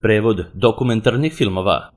Prevod dokumentarnih filmova.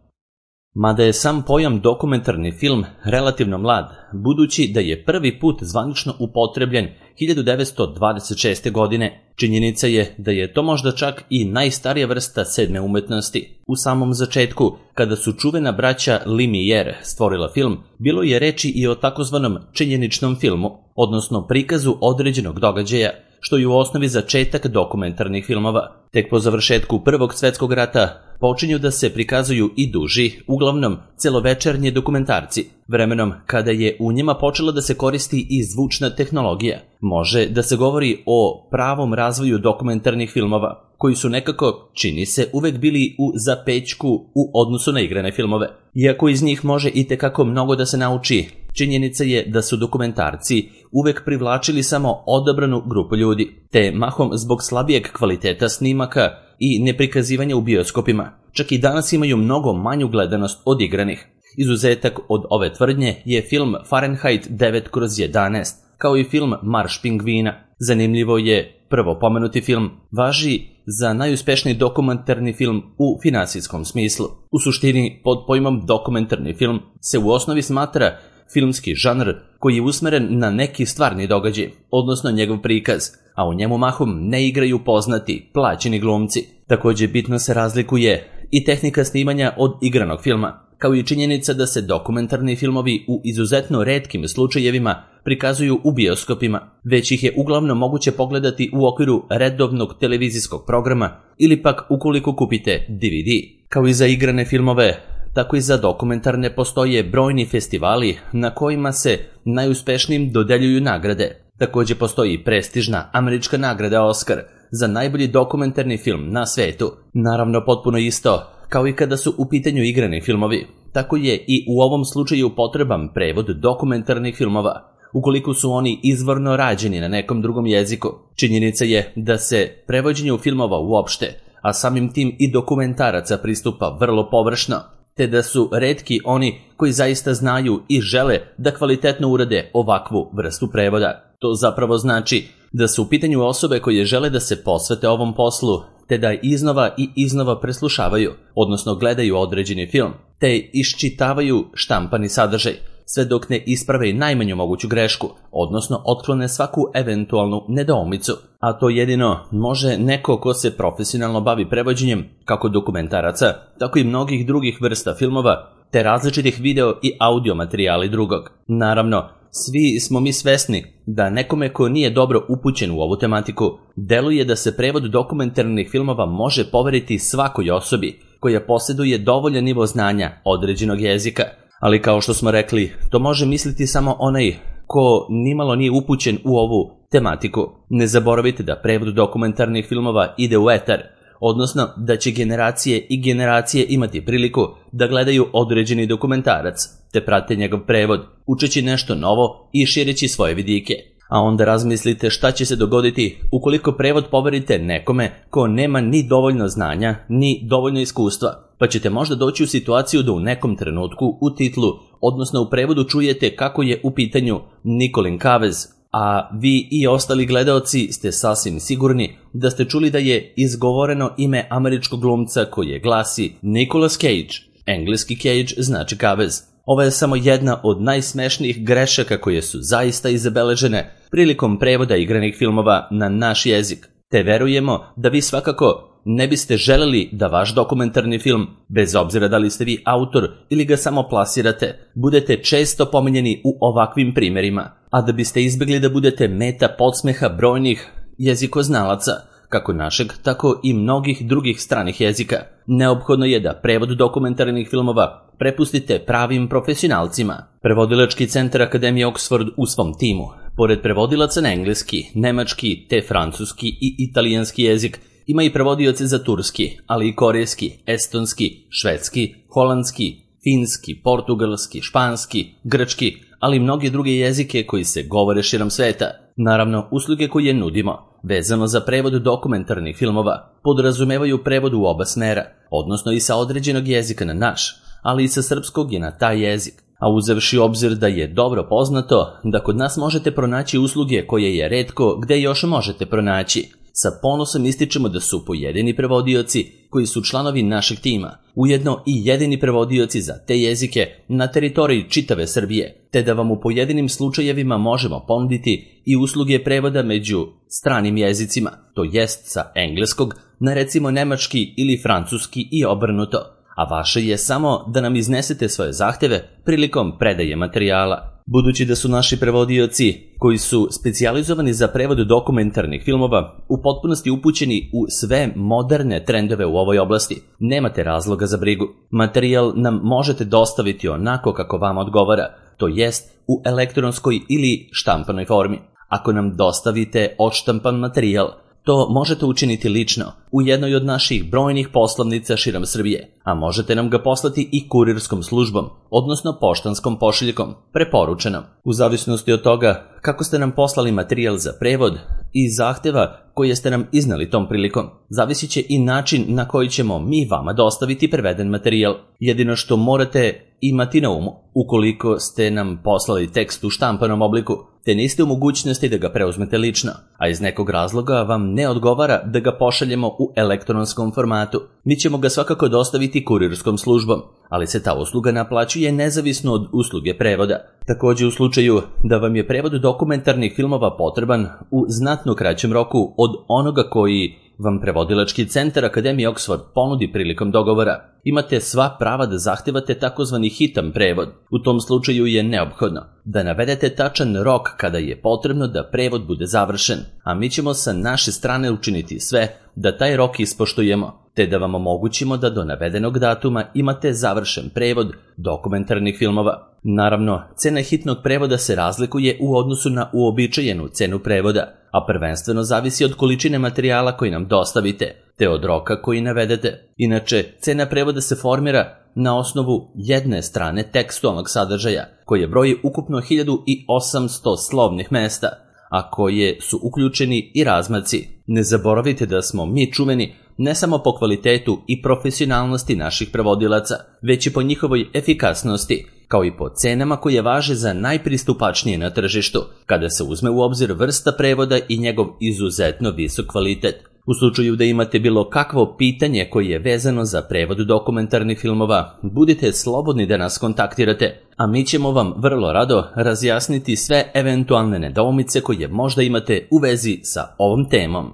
Mada je sam pojam dokumentarni film relativno mlad, budući da je prvi put zvanično upotrebljen 1926. godine, činjenica je da je to možda čak i najstarija vrsta sedme umetnosti. U samom začetku, kada su čuvena braća Lumière stvorila film, bilo je reči i o takozvanom činjeničnom filmu, odnosno prikazu određenog događaja, što je u osnovi začetak dokumentarnih filmova. Tek po završetku Prvog svjetskog rata počinju da se prikazuju i duži, uglavnom celovečernji dokumentarci. Vremenom kada je u njima počela da se koristi i zvučna tehnologija, može da se govori o pravom razvoju dokumentarnih filmova, koji su nekako, čini se, uvek bili u zapećku u odnosu na igrane filmove. Iako iz njih može i tekako mnogo da se nauči, činjenica je da su dokumentarci uvek privlačili samo odabranu grupu ljudi, te mahom zbog slabijeg kvaliteta snimaka i neprikazivanja u bioskopima, čak i danas imaju mnogo manju gledanost od igranih. Izuzetak od ove tvrdnje je film Fahrenheit 9/11, kao i film Marš pingvina. Zanimljivo je, prvo pomenuti film važi za najuspešniji dokumentarni film u finansijskom smislu. U suštini, pod pojmom dokumentarni film se u osnovi smatra filmski žanr koji je usmeren na neki stvarni događaj, odnosno njegov prikaz, a u njemu mahom ne igraju poznati, plaćeni glumci. Također bitno se razlikuje i tehnika snimanja od igranog filma, kao i činjenica da se dokumentarni filmovi u izuzetno retkim slučajevima prikazuju u bioskopima, već ih je uglavnom moguće pogledati u okviru redovnog televizijskog programa ili pak ukoliko kupite DVD. Kao i za igrane filmove, tako i za dokumentarne postoje brojni festivali na kojima se najuspešnijim dodeljuju nagrade. Također postoji prestižna američka nagrada Oscar za najbolji dokumentarni film na svetu. Naravno, potpuno isto kao i kada su u pitanju igrani filmovi, tako je i u ovom slučaju potreban prevod dokumentarnih filmova, ukoliko su oni izvorno rađeni na nekom drugom jeziku. Činjenica je da se prevođenju filmova uopšte, a samim tim i dokumentaraca, pristupa vrlo površno, te da su retki oni koji zaista znaju i žele da kvalitetno urade ovakvu vrstu prevoda. To zapravo znači da su u pitanju osobe koje žele da se posvete ovom poslu, te da iznova i iznova preslušavaju, odnosno gledaju određeni film, te iščitavaju štampani sadržaj, sve dok ne isprave najmanju moguću grešku, odnosno otklone svaku eventualnu nedoumicu. A to jedino može neko ko se profesionalno bavi prevođenjem kako dokumentaraca, tako i mnogih drugih vrsta filmova, te različitih video i audio materijali drugog. Naravno, svi smo mi svesni da nekome ko nije dobro upućen u ovu tematiku, deluje da se prevod dokumentarnih filmova može poveriti svakoj osobi koja posjeduje dovoljan nivo znanja određenog jezika. Ali kao što smo rekli, to može misliti samo onaj ko nimalo nije upućen u ovu tematiku. Ne zaboravite da prevod dokumentarnih filmova ide u etar, odnosno da će generacije i generacije imati priliku da gledaju određeni dokumentarac, te prate njegov prevod, učeći nešto novo i šireći svoje vidike. A onda razmislite šta će se dogoditi ukoliko prevod poverite nekome ko nema ni dovoljno znanja, ni dovoljno iskustva, pa ćete možda doći u situaciju da u nekom trenutku u titlu, odnosno u prevodu, čujete kako je u pitanju Nicolas Cage, a vi i ostali gledaoci ste sasvim sigurni da ste čuli da je izgovoreno ime američkog glumca koje glasi Nicolas Cage. Engleski Cage znači kavez. Ovo je samo jedna od najsmešnijih grešaka koje su zaista izabeležene prilikom prevoda igranih filmova na naš jezik, te verujemo da vi svakako ne biste želeli da vaš dokumentarni film, bez obzira da li ste vi autor ili ga samo plasirate, budete često pominjeni u ovakvim primjerima, a da biste izbjegli da budete meta podsmeha brojnih jezikoznalaca, kako našeg, tako i mnogih drugih stranih jezika. Neophodno je da prevod dokumentarnih filmova prepustite pravim profesionalcima. Prevodilački centar Akademije Oxford u svom timu, pored prevodilaca na engleski, nemački te francuski i italijanski jezik, ima i prevodioce za turski, ali i korejski, estonski, švedski, holandski, finski, portugalski, španski, grčki, ali i mnoge druge jezike koji se govore širom sveta. Naravno, usluge koje nudimo, vezano za prevod dokumentarnih filmova, podrazumevaju prevod u oba smera, odnosno i sa određenog jezika na naš, ali i sa srpskog i na taj jezik. A uzevši obzir da je dobro poznato da kod nas možete pronaći usluge koje je retko gde još možete pronaći, Sa ponosom ističemo da su pojedini prevodioci koji su članovi našeg tima, ujedno i jedini prevodioci za te jezike na teritoriji čitave Srbije, te da vam u pojedinim slučajevima možemo ponuditi i usluge prevoda među stranim jezicima, to jest sa engleskog na recimo nemački ili francuski i obrnuto, a vaše je samo da nam iznesete svoje zahteve prilikom predaje materijala. Budući da su naši prevodioci, koji su specijalizovani za prevod dokumentarnih filmova, u potpunosti upućeni u sve moderne trendove u ovoj oblasti, nemate razloga za brigu. Materijal nam možete dostaviti onako kako vam odgovara, to jest u elektronskoj ili štampanoj formi. Ako nam dostavite odštampan materijal, to možete učiniti lično u jednoj od naših brojnih poslovnica širom Srbije, a možete nam ga poslati i kurirskom službom, odnosno poštanskom pošiljkom, preporučenom. U zavisnosti od toga kako ste nam poslali materijal za prevod i zahteva koje ste nam iznali tom prilikom, zavisit će i način na koji ćemo mi vama dostaviti preveden materijal. Jedino što morate imati na umu, ukoliko ste nam poslali tekst u štampanom obliku, te niste u mogućnosti da ga preuzmete lično, a iz nekog razloga vam ne odgovara da ga pošaljemo u elektronskom formatu, mi ćemo ga svakako dostaviti kurirskom službom, ali se ta usluga naplaćuje nezavisno od usluge prevoda. Takođe, u slučaju da vam je prevod dokumentarnih filmova potreban u znatno kraćem roku od onoga koji vam prevodilački centar Akademije Oxford ponudi prilikom dogovora, imate sva prava da zahtevate takozvani hitan prevod. U tom slučaju je neophodno da navedete tačan rok kada je potrebno da prevod bude završen, a mi ćemo sa naše strane učiniti sve da taj rok ispoštujemo, te da vam omogućimo da do navedenog datuma imate završen prevod dokumentarnih filmova. Naravno, cena hitnog prevoda se razlikuje u odnosu na uobičajenu cenu prevoda, a prvenstveno zavisi od količine materijala koji nam dostavite, te od roka koji navedete. Inače, cena prevoda se formira na osnovu jedne strane tekstualnog sadržaja, koje broji ukupno 1800 slovnih mesta, a koje su uključeni i razmaci. Ne zaboravite da smo mi čuveni ne samo po kvalitetu i profesionalnosti naših prevodilaca, već i po njihovoj efikasnosti, kao i po cenama koje važe za najpristupačnije na tržištu, kada se uzme u obzir vrsta prevoda i njegov izuzetno visok kvalitet. U slučaju da imate bilo kakvo pitanje koje je vezano za prevod dokumentarnih filmova, budite slobodni da nas kontaktirate, a mi ćemo vam vrlo rado razjasniti sve eventualne nedoumice koje možda imate u vezi sa ovom temom.